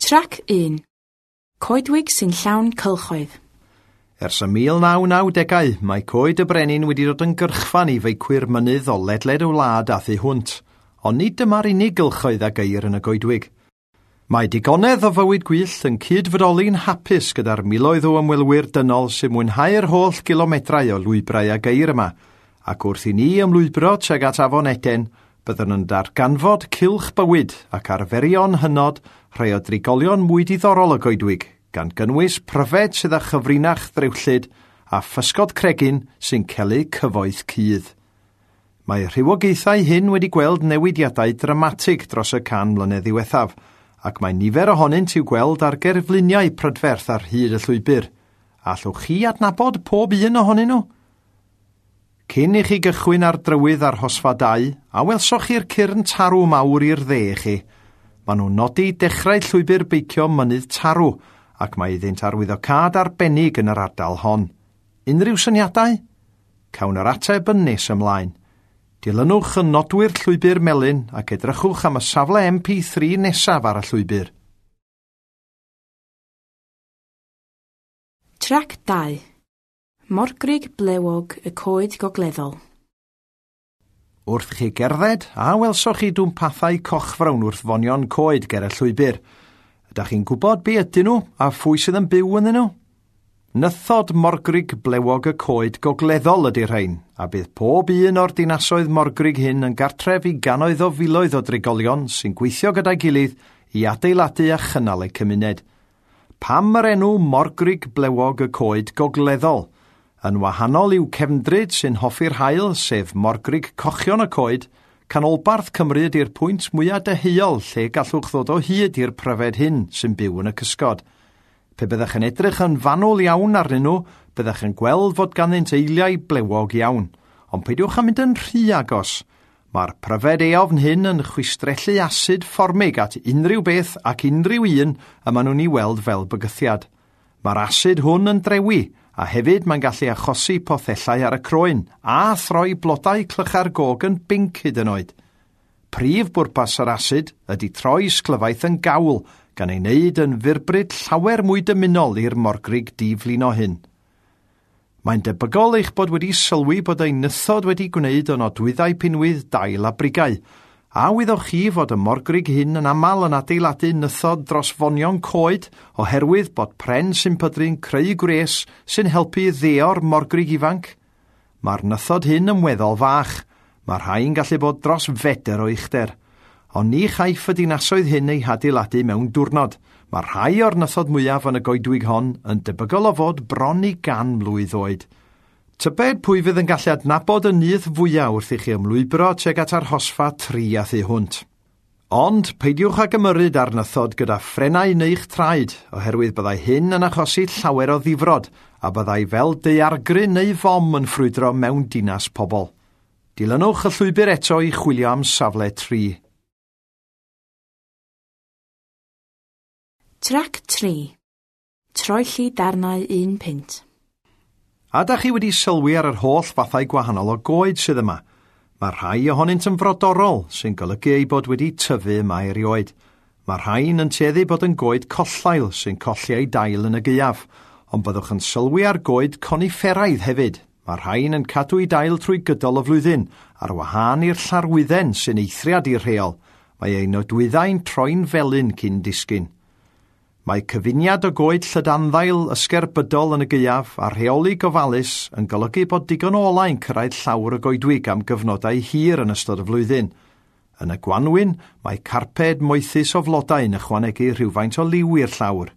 Trac 1. Coedwig sy'n llawn cylchoedd. Ers y 1990au, mae Coed y Brenin wedi dod yn gyrchfan i feicwyr mynydd o ledled y wlad a thu hwnt, ond nid dyma'r unig gylchoedd a geir yn y goedwig. Mae digonedd o fywyd gwyllt yn cyd-fodoli'n hapus gyda'r miloedd o ymwelwyr dynol sy'n mwynhau'r holl gilomedrau o lwybrau a geir yma, ac wrth i ni ymlwybro tuag at Afon Eden, byddwn yn darganfod cylch bywyd ac arferion hynod rhai o drigolion mwy diddorol y goedwig, gan gynnwys pryfed sydd â chyfrinach ddrewllyd a physgod cregyn sy'n celu cyfoeth cudd. Mae rhywogaethau hyn wedi gweld newidiadau dramatig dros y 100 mlynedd ddiwethaf, ac mae nifer ohonynt i'w gweld ar gerfluniau prydferth ar hyd y llwybr. Allwch chi adnabod pob un ohonyn nhw? Cyn i chi gychwyn ar drywydd arhosfa 2, a welsoch chi'r cyrn tarw mawr i'r dde chi? Maen nhw'n nodi dechrau llwybr beicio Mynydd Tarw, ac mae iddynt arwyddocâd arbennig yn yr ardal hon. Unrhyw syniadau? Cawn yr ateb yn nes ymlaen. Dilynwch y nodwyr llwybr melyn ac edrychwch am y safle MP3 nesaf ar y llwybr. Trac 2. Morgrug blewog y coed gogleddol. Wrth chi gerdded, a welsoch chi dwmpathau cochfrawn wrth fonion coed ger y llwybr. Ydych chi'n gwybod be ydyn nhw a phwy sydd yn byw ynddyn nhw? Nythod morgrug blewog y coed gogleddol ydy'r rhain, a bydd pob un o'r dinasoedd morgrug hyn yn gartref i gannoedd o filoedd o drigolion sy'n gweithio gyda'i gilydd i adeiladu a chynnal eu cymuned. Pam yr enw morgrug blewog y coed gogleddol? Yn wahanol i'w cefndryd sy'n hoffi'r haul, sef morgrug cochion y coed, canolbarth Cymru ydy'r pwynt mwyaf deheuol lle gallwch ddod o hyd i'r pryfed hyn sy'n byw yn y cysgod. Pe byddech yn edrych yn fanwl iawn arnyn nhw, byddech yn gweld fod ganddynt eiliau blewog iawn, ond peidiwch â mynd yn rhy agos. Mae'r pryfed eofn hyn yn chwistrellu asid fformig at unrhyw beth ac unrhyw un y maen nhw'n ei weld fel bygythiad. Mae'r asid hwn yn drewi, a hefyd mae'n gallu achosi pothellau ar y croen a throi blodau clychau'r gog yn binc hyd yn oed. Prif bwrpas yr asid ydy troi sglyfaeth yn gawl, gan ei wneud yn fyrbryd llawer mwy dymunol i'r morgrug diflino hyn. Mae'n debygol eich bod wedi sylwi bod ei nythod wedi gwneud o nodwyddau pinwydd dail a brigau, a wyddoch chi fod y morgrug hyn yn aml yn adeiladu nythod dros fonion coed oherwydd bod pren sy'n pydru'n creu gwres sy'n helpu ddeo'r morgrug ifanc? Mae'r nythod hyn yn weddol fach. Mae rhai'n gallu bod dros fedr o uchder. Ond ni chaiff y dinasoedd hyn eu hadeiladu mewn diwrnod. Mae rhai o'r nythod mwyaf yn y goedwig hon yn debygol o fod bron i 100 mlwydd oed. Tybed pwy fydd yn gallu adnabod y nyth fwyaf wrth i chi ymlwybro tuag at arhosfa 3 a thu hwnt. Ond peidiwch ag ymyrryd ar nythod gyda ffrenau neu'ch traed, oherwydd byddai hyn yn achosi llawer o ddifrod, a byddai fel daeargryn neu fom yn ffrwydro mewn dinas pobl. Dilynwch y llwybr eto i chwilio am safle 3. Trac 3. Troelli darnau 1 punt. A da chi wedi sylwi ar yr holl fathau gwahanol o goed sydd yma? Mae rhai ohonynt yn frodorol, sy'n golygu eu bod wedi tyfu yma erioed. Mae rhain yn tueddu bod yn goed collail sy'n colli eu dail yn y gaeaf, ond byddwch yn sylwi ar goed conifferaidd hefyd. Mae rhain yn cadw eu dail trwy gydol y flwyddyn, ar wahân i'r llarwydden sy'n eithriad i'r rheol. Mae ei nodwyddau'n troi'n felyn cyn disgyn. Mae cyfuniad o goed llydanddail ysgerbydol yn y gaeaf a rheoli gofalus yn golygu bod digon o olau'n cyrraedd llawr y goedwig am gyfnodau hir yn ystod y flwyddyn. Yn y gwanwyn, mae carped moethus o flodau yn ychwanegu rhywfaint o liw i'r llawr.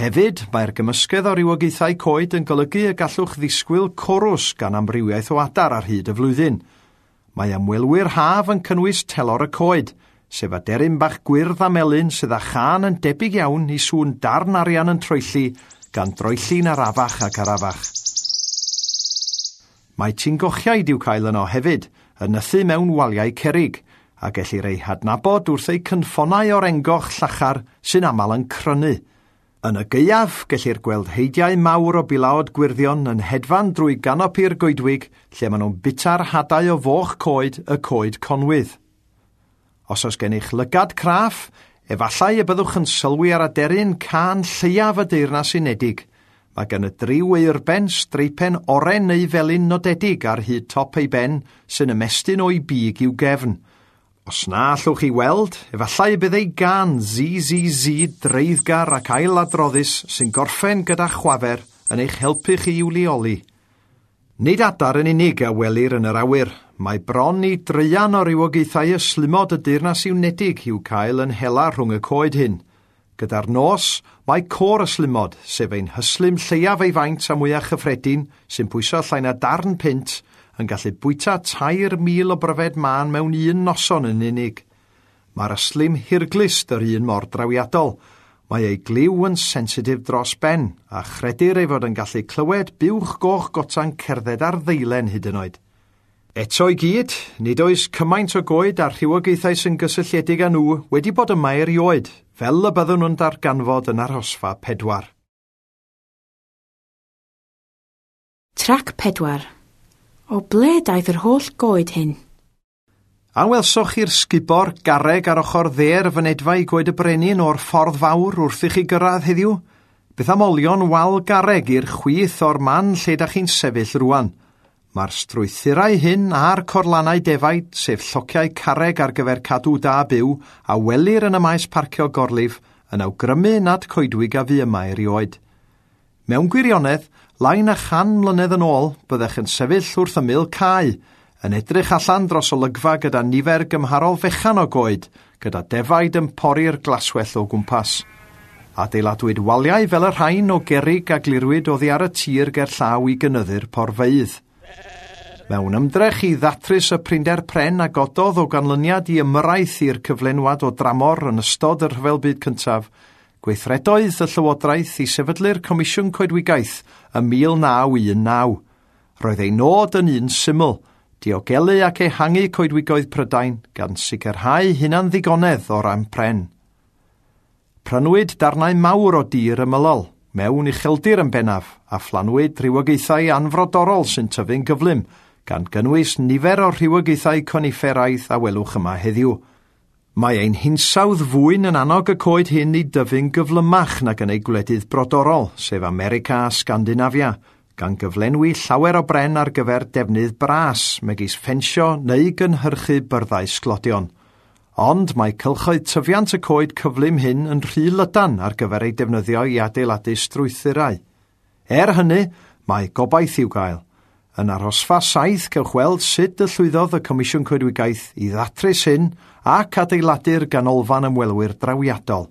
Hefyd, mae'r gymysgedd o rywogaethau coed yn golygu y gallwch ddisgwyl corws gan amrywiaeth o adar ar hyd y flwyddyn. Mae ymwelwyr haf yn cynnwys telor y coed, sef aderyn bach gwyrdd a melyn sydd â chân yn debyg iawn i sŵn darn arian yn troelli, gan droelli'n arafach ac arafach. Mae tingochiaid i'w cael yno hefyd, yn nythu mewn waliau cerrig, a gellir eu hadnabod wrth eu cynffonau o'r engoch llachar sy'n aml yn crynu. Yn y gaeaf, gellir gweld heidiau mawr o bilaod gwyrddion yn hedfan drwy ganopi'r goedwig lle maen nhw'n bwyta'r hadau o foch coed y coed conwydd. Os oes gennych lygad craff, Efallai y byddwch yn sylwi ar aderyn cân lleiaf y Deyrnas Unedig. Mae gan y dryw eurben streipen oren neu felyn nodedig ar hyd top ei ben sy'n ymestyn o'i big i'w gefn. Os na allwch chi weld, efallai y bydd ei gân ZZZ dreiddgar ac ailadroddus sy'n gorffen gyda chwafer yn eich helpu chi i'w leoli. Nid adar yn unig a welir yn yr awyr. Mae bron i draean o rywogaethau ystlumod y Deyrnas Unedig i'w cael yn hela rhwng y coed hyn. Gyda'r nos, mae côr ystlumod, sef ein hystlum lleiaf ei faint a mwyaf chyffredin, sy'n pwyso llai na darn punt, yn gallu bwyta 3,000 o bryfed mân mewn un noson yn unig. Mae'r ystlum hirglust yr un mor drawiadol. Mae ei glyw yn sensitif dros ben, a chredir ei fod yn gallu clywed buwch goch gota'n cerdded ar ddeilen hyd yn oed. Eto i gyd, nid oes cymaint o goed a'r rhywogaethau sy'n gysylltiedig â nhw wedi bod yma erioed, fel y byddwn nhw'n darganfod yn arhosfa 4. Trac 4. O ble daeth yr holl goed hyn? A welsoch chi'r sgubor garreg ar ochr dde'r fynedfa i Goed y Brenin o'r ffordd fawr wrth i chi gyrraedd heddiw? Beth am olion wal garreg i'r chwith o'r man lle da chi'n sefyll rwan? Mae'r strwythurau hyn a'r corlannau defaid, sef llociau carreg ar gyfer cadw da byw, a welir yn y maes parcio gorlif, yn awgrymu nad coedwig a fu yma erioed. Mewn gwirionedd, lai na 100 mlynedd yn ôl, byddech yn sefyll wrth ymyl cae, yn edrych allan dros olygfa gyda nifer gymharol fechan o goed, gyda defaid yn pori'r glaswellt o gwmpas. Adeiladwyd waliau fel y rhain o gerrig a glirwyd oddi ar y tir gerllaw i gynyddu'r porfeydd. Mewn ymdrech i ddatrys y prinder pren a gododd o ganlyniad i ymyrraeth i'r cyflenwad o dramor yn ystod y Rhyfel Byd Cyntaf, gweithredoedd y Llywodraeth i sefydlu'r Comisiwn Coedwigaeth ym 1919. Roedd ei nod yn un syml, diogelu ac ehangu coedwigoedd Prydain gan sicrhau hunan-ddigonedd o ran pren. Prynwyd darnau mawr o dir ymylol, mewn ucheldir yn bennaf, a phlanwyd rhywogaethau anfrodorol sy'n tyfu'n gyflym, gan gynnwys nifer o'r rhywogaethau conifferaidd a welwch yma heddiw. Mae ein hinsawdd fwyn yn annog y coed hyn i dyfu'n gyflymach nag yn eu gwledydd brodorol, sef America a Sgandinafia, gan gyflenwi llawer o bren ar gyfer defnydd bras, megis ffensio neu gynhyrchu byrddau sglodion. Ond mae cylchoedd tyfiant y coed cyflym hyn yn rhy lydan ar gyfer eu defnyddio i adeiladu strwythurau. Er hynny, mae gobaith i'w gael. Yn arhosfa 7 cewch weld sut y llwyddodd y Comisiwn Coedwigaeth i ddatrys hyn ac adeiladu'r ganolfan ymwelwyr drawiadol.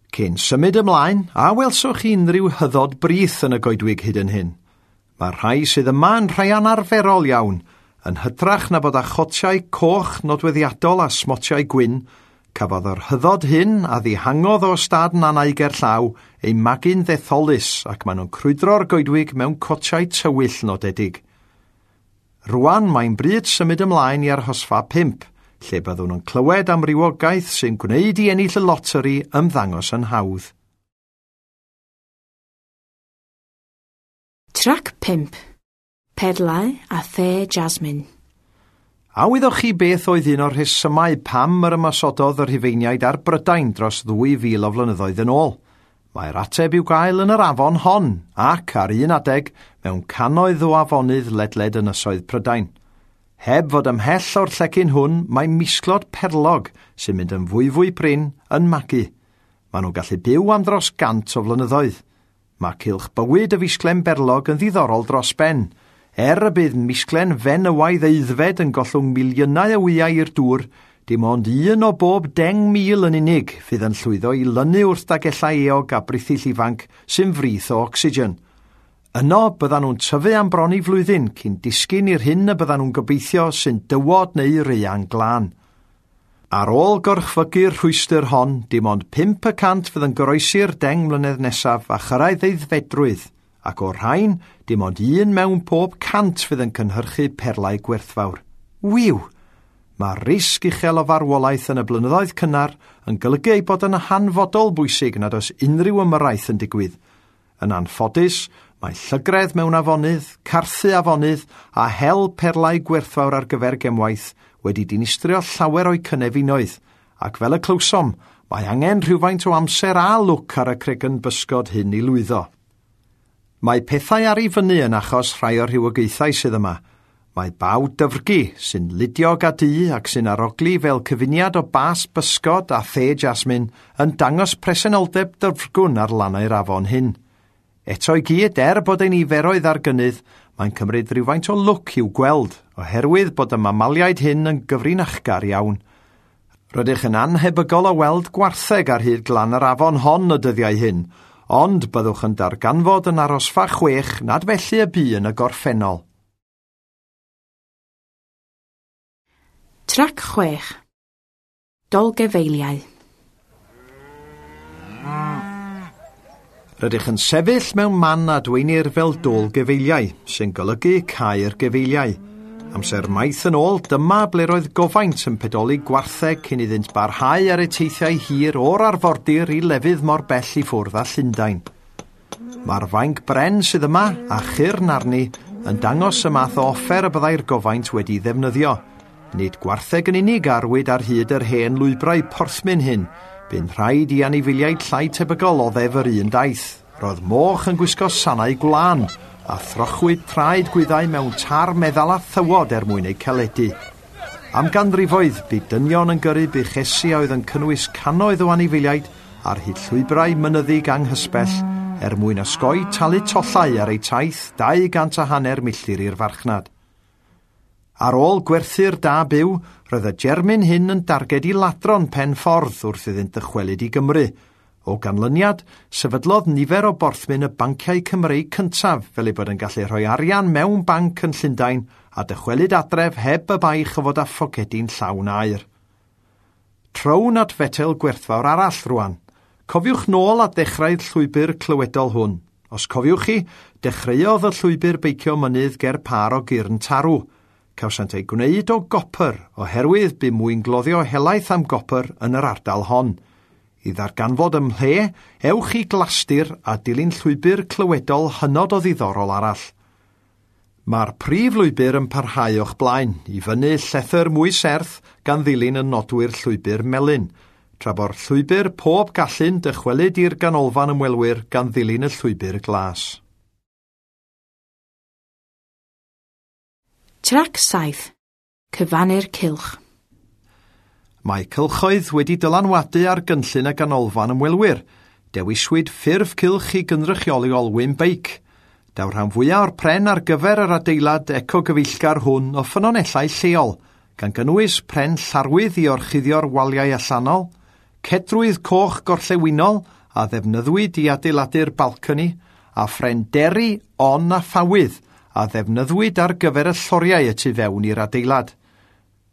Cyn symud ymlaen, a welswch chi unrhyw hyddod brith yn y goedwig hyd yn hyn? Mae'r rhai sydd yma yn rhai anarferol iawn, yn hytrach na bod â chotiau coch nodweddiadol a smotiau gwyn, cafodd yr hyddod hyn a ddihangodd o ystâd Nannau gerllaw eu magu'n ddetholus ac maen nhw'n crwydro'r goedwig mewn cotiau tywyll nodedig. Rwan mae'n bryd symud ymlaen i arhosfa 5, lle byddwn yn clywed am rywogaeth sy'n gwneud i ennill y loteri ymddangos yn hawdd. Trac 5. Perlau a the jasmine. A wyddoch chi beth oedd un o'r rhesymau pam yr ymosododd y Rhufeiniaid ar Brydain dros 2,000 o flynyddoedd yn ôl? Mae'r ateb i'w gael yn yr afon hon, ac ar un adeg mewn cannoedd o afonydd ledled ynysoedd Prydain. Heb fod ymhell o'r llecyn hwn, mae misglod perlog sy'n mynd yn fwyfwy prin yn magu. Maen nhw'n gallu byw am dros 100 o flynyddoedd. Mae cylch bywyd y fisglen berlog yn ddiddorol dros ben. Er y bydd misglen fenywaidd aeddfed yn gollwng miliynau o wyau i'r dŵr, dim ond un o bob 10,000 yn unig fydd yn llwyddo i lynu wrth dagellau eog a brithyll ifanc sy'n frith o ocsigen. Yno byddan nhw'n tyfu am bron i flwyddyn cyn disgyn i'r hyn y byddan nhw'n gobeithio sy'n dywod neu raean glân. Ar ôl gorchfygu'r rhwystr hon, dim ond 5% fydd yn goroesi'r 10 mlynedd nesaf a chyrraedd aeddfedrwydd, ac o'r rhain, dim ond 1 mewn pob 100 fydd yn cynhyrchu perlau gwerthfawr. Wiw! Mae'r risg uchel o farwolaeth yn y blynyddoedd cynnar yn golygu ei bod yn hanfodol bwysig nad oes unrhyw ymyrraeth yn digwydd. Yn anffodus, mae llygredd mewn afonydd, carthu afonydd a hel perlau gwerthfawr ar gyfer gemwaith wedi dinistrio llawer o'u cynefinoedd, ac fel y clywsom, Mae angen rhywfaint o amser a lwc ar y cregyn bysgod hyn i lwyddo. Mae pethau ar ei fyny yn achos rhai o'r rhywogaethau sydd yma. Mae baw dyfrgi sy'n ludiog a du ac sy'n arogli fel cyfuniad o bas bysgod a the jasmine yn dangos presenoldeb dyfrgwn ar lannau'r afon hyn. Eto i gyd, er bod ei niferoedd ar gynnydd, mae'n cymryd rhywfaint o lwc i'w gweld, oherwydd bod y mamaliaid hyn yn gyfrinachgar iawn. Rydych yn anhebygol o weld gwartheg ar hyd glan yr afon hon y dyddiau hyn, ond byddwch yn darganfod yn arosfa 6 nad felly y bu yn y gorffennol. Trac 6. Dolgefeiliau. Rydych yn sefyll mewn man a dweinir fel dôl gefeiliau, sy'n golygu caer gefeiliau. Amser maith yn ôl, dyma ble roedd gofaint yn pedoli gwartheg cyn iddynt barhau ar eu teithiau hir o'r arfordir i lefydd mor bell i ffwrdd â Llundain. Mae'r fainc bren sydd yma, a chyrn arni, yn dangos y math o offer y byddai'r gofaint wedi ddefnyddio. Nid gwartheg yn unig arwyd ar hyd yr hen lwybrau porthmyn hyn, bu'n rhaid i anifeiliaid llai tebygol oddef yr un daith. Roedd moch yn gwisgo sanau gwlân, a throchwyd traed gwyddau mewn tar meddal a thywod er mwyn eu caledu. Am ganrifoedd, bu dynion yn gyrru buchesi a oedd yn cynnwys cannoedd o anifeiliaid ar hyd llwybrau mynyddig anghysbell er mwyn osgoi talu tollau ar eu taith 250 milltir i'r farchnad. Ar ôl gwerthu'r da byw, roedd y germyn hyn yn darged i ladron pen ffordd wrth iddynt ddychwelyd i Gymru. O ganlyniad, sefydlodd nifer o borthmyn y banciau Cymreig cyntaf fel ei bod yn gallu rhoi arian mewn banc yn Llundain a dychwelyd adref heb y baich o fod â phocedi'n llawn aer. Trown at fetel gwerthfawr arall rwan. Cofiwch nôl at ddechrau'r llwybr clywedol hwn. Os cofiwch chi, dechreuodd y llwybr beicio mynydd ger pâr o gyrn tarw. Cawsant eu gwneud o gopr, oherwydd bu mwyngloddio helaeth am gopr yn yr ardal hon. I ddarganfod ym mhle, ewch i Glastir a dilyn llwybr clywedol hynod o ddiddorol arall. Mae'r prif lwybr yn parhau o'ch blaen, i fyny llethr mwy serth gan ddilyn y nodwyr llwybr melyn, tra bo'r llwybr pob gallu'n dychwelyd i'r ganolfan ymwelwyr gan ddilyn y llwybr glas. Trac 7. Cyfannu'r cylch. Mae cylchoedd wedi dylanwadu ar gynllun y ganolfan ymwelwyr. Dewiswyd ffurf cylch i gynrychioli olwyn beic. Daw'r rhan fwyaf o'r pren ar gyfer yr adeilad ecogyfeillgar hwn o ffynonellau lleol, gan gynnwys pren llarwydd i orchuddio'r waliau allanol, cedrwydd coch gorllewinol a ddefnyddiwyd i adeiladu'r balcony, a phren deri, on a ffawydd, a ddefnyddiwyd ar gyfer y lloriau y tu fewn i'r adeilad.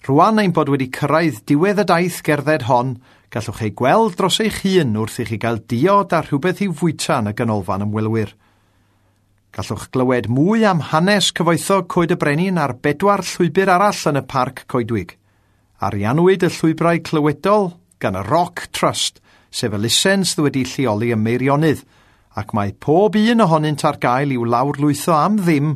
Rwan ein bod wedi cyrraedd diwedd y daith gerdded hon, gallwch ei gweld dros eich hun wrth i chi gael diod a rhywbeth i'w fwyta yn y ganolfan ymwelwyr. Gallwch glywed mwy am hanes cyfoethog Coed y Brenin ar 4 llwybr arall yn y parc coedwig. Ariannwyd y llwybrau clywedol gan y Rock Trust, sef elusen sydd wedi lleoli ym Meirionnydd, ac mae pob un ohonynt ar gael i'w lawrlwytho am ddim